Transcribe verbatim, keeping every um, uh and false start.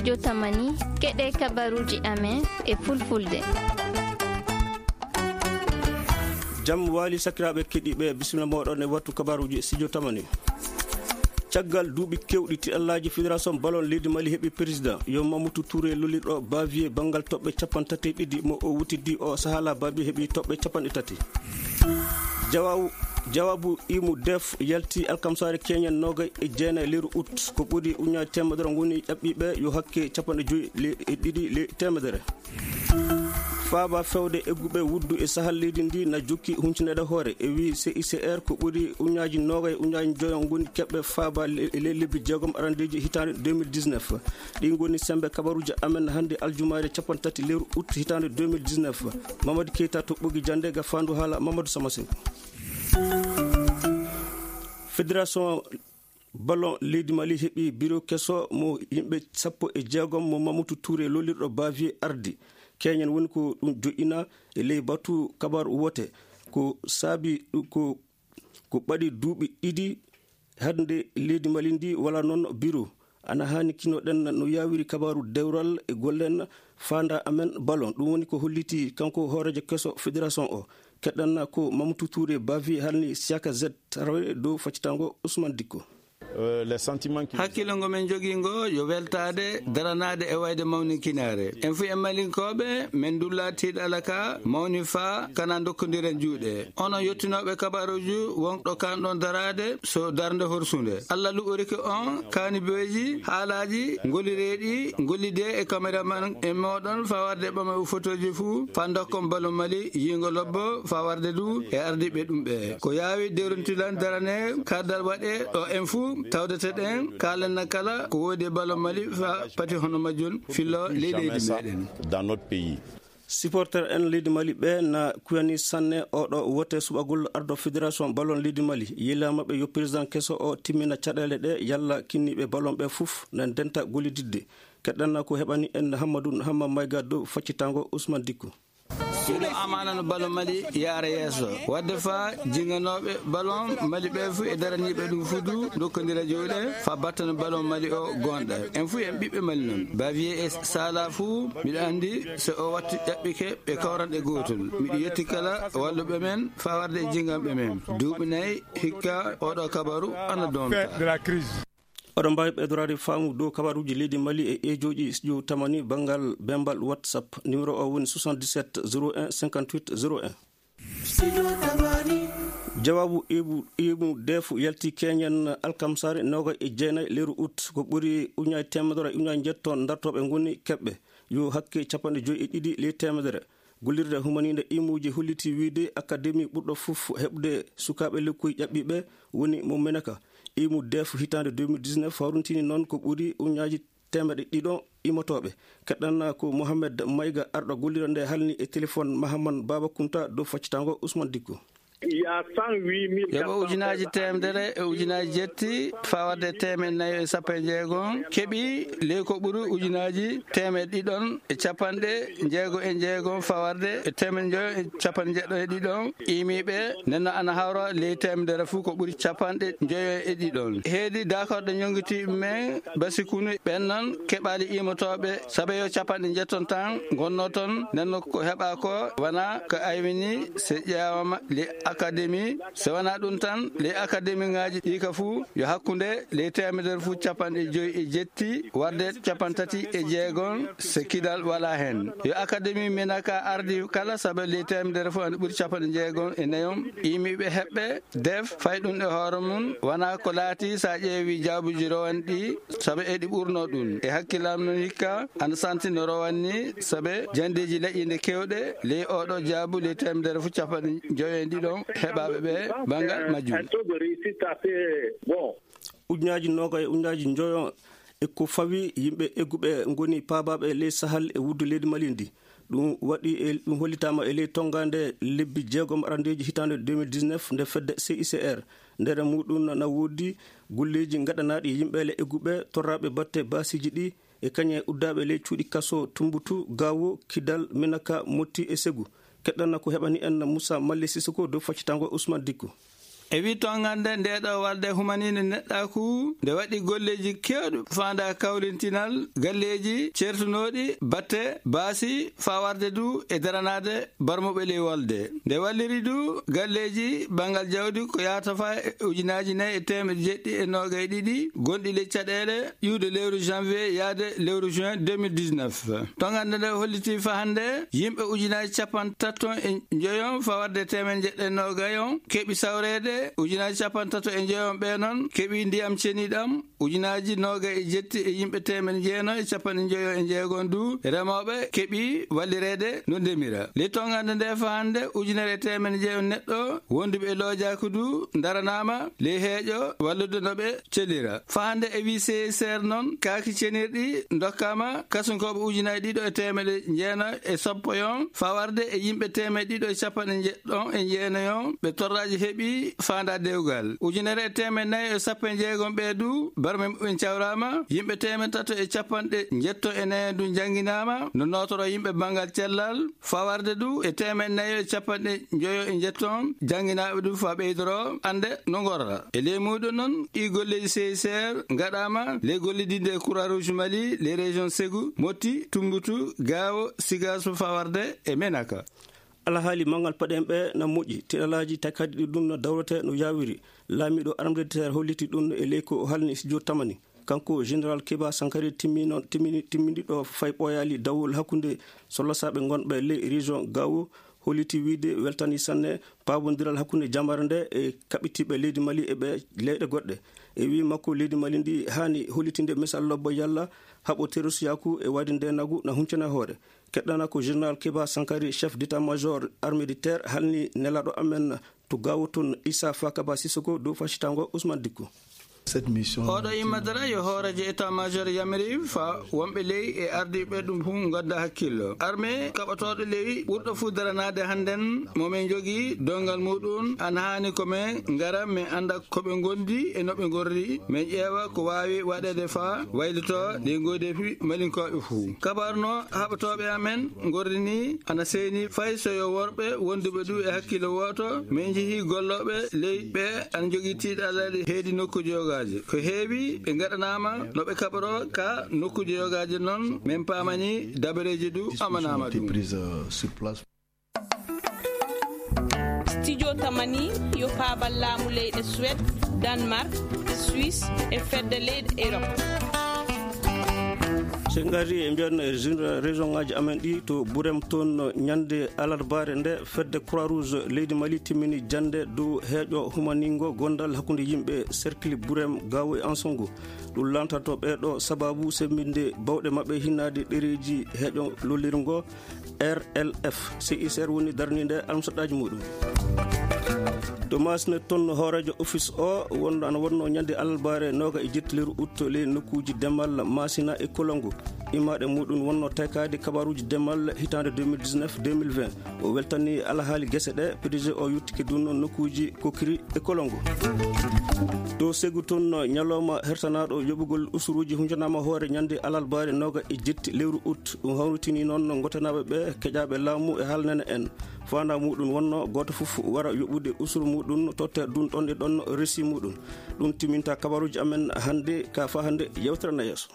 Jotamani, keɗe kabaruji amen e fulfulde. Jam wali sakiraɓe keɗiɓe, bisimilla moɗon e wattu kabaruji Studio Tamani. Caggal duuɓi kewɗi, tiɗallaaji Fédération Ballon leydi Mali heɓi président, yo Mamoudou Touré, lollirɗo Bavier banngal toɓɓe capanɗe tati e ɗiɗi mo o wutidi o sahala. Bavier heɓi toɓɓe capanɗe tati. Jawabu, jawabu imu def yalti alkamsare keñen nogay e jeenay leru août. Ko ɓuri uñaji temedere ngoni ɗaɓɓiɓe yo hakke capanɗe joyi le, e ɗiɗi le temedere. Faaba fewde egguɓe wuddu e sahal leydi ndi na jokki huncinaɗe hoore, e wi C I C R ko ɓuri uñaji nogay uñaji joyo ngoni keɓɓe faaba le, le lebbi jeegom arandeji hitande deux mille dix-neuf. Ɗi ngoni sembe kabaruji amen hannde aljumaare capanɗe tati lewru août hitande deux mille dix-neuf. Mamadou Keita to ɓogi jande ga fandu haala Mamadou Samasin. Fédération Ballon leydi Mali heɓi biro keso mo yimɓe sappo e jeegom mo Mamoudou Touré lollirɗo Bavier ardi. Keñen woni ko ɗum joƴƴina e ley batu kabaru wote. Ko saabi ɗum ko, ko ɓaɗi duuɓi ɗiɗi hannde leydi Mali ndi wala noon biro. Ana hani kinoɗen no yawiri kabaru dewral e gollen fanda amen Ballon. Ɗum woni ko holliti kanko hoorejo keso fédération o. Keɗɗanna ko Mamoudou Touré Bavier halni Siaka Z tarawre dow faccitango Ousmane Dicko. Euh, les sentiments qui Hakkille ngo men jogii ngo yo weltaade, daranaade e wayde mawninkinaare. En fuu en Malinkooɓe, men ndulla tiiɗala ka mawni faa kana ndokkondiren juuɗe. Onon yottinooɓe kabaruuji, won ɗo kanɗon daraade so darnde horsunde. Allah luɓorike on kaani beeji, haalaaji, ngolireeɗi, ngollidee e kameraman en mooɗon faa warde ɓama o fotooji fuu, faa ndokkon Ballon Mali yiingo lobbo, faa warde du e ardiiɓe ɗum ɓe. Ko yaawi dewrontilan darane kardal waɗe ɗo en fuu tawdete ɗen, kaalen na kala ko woodi e Ballon Mali faa pati hono majjum fillo ley leydi meɗen. Dans notre pays. Supporter en leydi Mali ɓe na kuyani sanne oɗo wote suɓagol ardo fédération Ballon leydi Mali. Yila maɓɓe yo président keso o timmina caɗeele ɗe yalla kinniɓe Ballon ɓe fuf na denta gollididde. Keɗɗanna ko heɓani en Hammadou Hamma Mayga dow faccitango Ousmane Dicko. Ɗiɗo amaana no Ballon Mali yaara yeeso. Wadde faa jinganooɓe Ballon Mali ɓe fuu e daraniiɓe ɗum fuu du ndokkondira juuɗe faa battana Ballon Mali o goonɗa. En fuu en ɓiɓɓe Mali non. Bavier e Sala fuu miɗo anndi so o wattu ƴaɓɓike ɓe kawran e gootol. Miɗo yetti kala walluɓe men faa warde e jinganɓe men. Duuɓi nayi hikka oɗo kabaru ana donta. Oɗon mbaawi ɓeydoraade faamu dow kabaruuji leydi Mali e eejooji Studio Tamani banngal bembal WhatsApp. Numéro o woni soixante-dix-sept zéro un cinquante-huit zéro un. Jawaabu ibu, ibu defu yalti keñen alkamsare noga e jeenay leru août. Ko ɓuri uñaji temedere e uñaji njetto dartooɓe ngoni keɓɓe. Yo hakke capanɗe joyi e ɗiɗi ley temedere. Gollirde humaninde imuuji holliti wiyde akademi ɓurɗo fof heɓde sukaaɓe lekkoy ƴaɓɓiiɓe woni mo Menaka. Imu def hitaande deux mille dix-neuf hawrintini noon ko ɓuri uñaaji teemedde ɗiɗo imotooɓe. Keɗɗan ko Mohamed Mayga, arɗo gollirde nde halni e téléphone Mahaman Baba Kunta dow faccitango Ousmane Dikko. Yoɓo ujunaaji teemedere e ujunaaji jetti fawade teemeɗɗe nayo e sappo e jeegom keɓi ley ko ɓuri ujunaaji teemeɗɗe ɗiɗon e capanɗe jeego e jeegom fawarde e teemeɗɗe njoyo e capanɗe jeɗɗo e ɗiɗon imiiɓe. Nenno ana hawra ley teemedere fuu ko ɓuri capanɗe njoyo e ɗiɗon. Heedi dakorɗe ñonngitiiɓe men basikunu ɓen non keɓaali imotooɓe sabe yo capanɗe njetton tan ngonno ton. Nenno ko heɓa ko wona ko aywini se ƴeewama ley akademi. Se wona ɗum tan ley akademi ŋaaji ɗi ka fuu yo hakkunde ley teemedere fuu capanɗe joyi e jetti warde capanɗe tati e jeegom se kidal wala hen. Yo akademi Menaka ardi kala sabe ley teemedere fuu ana ɓuri capanɗe jeegom e nayom imiiɓe heɓɓe def fay ɗum e hoore mum wona ko laati sa ƴeewi jaabuji rowanɗi sabe eɗi ɓurno ɗum e hakkilam non hikka ana santi no rowanni sabe jandeji laƴinde kewɗe ley oɗo jaabu ley teemedere fuu capanɗe joyo e ɗiɗon heɓaɓe ɓe bangal majjum. Ujunaji noga e ujunaji njoyo e ko fawi yimɓe egguɓe ngoni paabaɓe ley sahal e wuddu leydi Mali ndi. Ɗum waɗi e ɗum hollitama e ley tongande lebbi jeegom arandeji hitande deux mille dix-neuf nde fedde C I C R. Nder muɗum na woodi golleji gaɗanaɗi yimɓele egguɓe torraɓe batte basiji ɗi e kañe uddaɓe ley cuuɗi kaso Tumbutu, Gawo, Kidal, Menaka, Motti e Segu. Keɗɗanna ko heɓani en Moussa Malle Sissoko dow faccitango Ousmane Dikko. E wi tongande nde ɗo walde humaninde neɗɗaku, nde waɗi golleji kewɗi faanda kawlintinal galleji certunooɗi batte baasi, faa warde du e daranaade barmuɓe ley walde. Nde walliri du galleji banngal jawdi ko yaata faa e ujunaaji nayi e teemedde jeɗɗi e noogay ɗiɗi gonɗi ley caɗeele iwde lewru janvier yaade lewru juin deux mille dix-neuf. Tongande nde holliti faa hannde yimɓe ujunaaji capanɗe tato e njoyon faa warde teemedde jeɗɗi e noogay on keɓi sawreede, ujunaaji capanɗe tato e njoyon ɓe noon keɓi ndiyam ceniɗam, ujunaaji noogay e jetti e yimɓe teemedde jeeno e capanɗe njoyo e jeegon du remooɓe keɓi wallireede no ndemira. Ley tongande nde faa hannde ujunere e teemedde jeeyo neɗɗo wonduɓe e loojaku du daranaama ley heeƴo wallude no ɓe celira. Faa hannde e wi C S R noon kaaki cenirɗi ndokkaama kasunkooɓe ujunaaji ɗiɗo e teemedde jeeno e sappo yon faa warde e yimɓe teemedde ɗiɗo e capanɗe jeeɗiɗon e jeenayon ɓe torraaji heɓi faanda dewgal. Ujunere e teemedde nayi e sappo e jeegon ɓe du barme muɓɓen cawraama, yimɓe teemedde tato e capanɗe jeeɗiɗi e nayi du jannginaama no nootoro yimɓe banngal cellal. Faa warde du e teemedde nayi e capanɗe njoyo e jeeɗiɗon jannginaaɓe du faa ɓeydoro annde no ngorra. E ley muuɗum noon ɗi golleji C S R ngaɗaama ley gollidinde e Croix Rouge Mali, ley région Ségou, Mopti, Tombouctou, Gao, Ségou faa warde e Menaka. Alhaali manngal paɗen ɓe na moƴƴi, tiɗalaaji takkaɗi ɗi ɗum no dawrete no yaawiri. Laamiiɗo armée de terre holliti ɗum e ley ko halni studio Tamani. Kanko Général Keba Sankare timmino, timmini, timmini ɗo fay ɓooyaali dawol hakkunde sollasaaɓe ngonɓe ley région Gao, holliti wiide weltani sanne paabondiral hakkunde jamare nde e kaɓitiiɓe leydi Mali e ɓe leyɗe goɗɗe. E wii makko, leydi Mali ndi haani hollitinde misal lobbo yalla haɓo terroristiyaaku e waɗi nde nagu na huncana hoore. Keɗɗana ko Général Keba Sankare, chef d'état-major armée de terre, halni nelaaɗo amen to Gao toon, Issa Fakaba Sissoko, dow faccitaango Ousmane Dicko. Cette mission Oɗo immadara yo hooreejo état-major yamiri faa wonɓe ley e ardiiɓe ɗum fuu ngadda hakkillo. Armée kaɓotooɗo ley ɓurɗo fuu daranaade hannden mo min njogii donngal muuɗum ana haani ko min ngara min annda ko ɓe ngondi e no ɓe ngorri, min ƴeewa ko waawi waɗeede faa waylitoo ɗi ngoydeefi Malinkooɓe fuu. Kabaru no haɓotooɓe amen ngorri ni ana seeni fay so yo worɓe wonduɓe du e hakkillo wooto, min njehii gollooɓe ley ɓe ana njogii tiiɗalaaɗi heedi nokkuuji yogaaji. Ko heewi ɓe ngaɗanaama no ɓe kaɓoroo ka nokkuuji yogaaji noon, min paamani dabareeji du amanaama ɗum. Prise, euh, sur place. Studio Tamani yo paabal laamu leyɗe Suède, Danemark, Suisse e fedde leyɗe Europe. So en ngarri e mbiyan e région ngaji amen ɗi to Burem toon, ñande alarbaare nde fedde Croix Rouge leydi Mali timmini jannde dow heeƴo humaningo gondal hakkunde yimɓe cercle Burem, Gao e Ansongo. Ɗum lantanto ɓeeɗo sababu sembinde bawɗe maɓɓe hinnaade ɗereeji heeƴo lollirngo R L F. C I C R woni darninde almusaɗɗaaji muɗum. To Masina toon, hooreejo office o wonno ana wonno ñande alarbaare nooga e jetti lewru août ley nokkuuji demal Masina e Kolongo. Immaaɗe muɗum wonno taykaade kabaruuji demal hitaande deux mille dix-neuf deux mille vingt. O weltani alhaali gese ɗe, P D G o yettike ɗum nokkuuji Kokiri e Kolongo. To Segu toon, ñalawma hertanaaɗo yoɓugol usuruuji huncanaama hoore ñande alarbaare nooga e jetti lewru août. Ɗum hawritini noon ngotanaaɓe ɓe keƴaaɓe laamu e haalnene en. Faandaa muɗum wonno gooto fof wara yoɓude usuru muɗum, totta ɗum ɗon e ɗon resi muɗum. Ɗum timminta kabaruuji amen hannde, ka faa hannde yewtere na yeeso.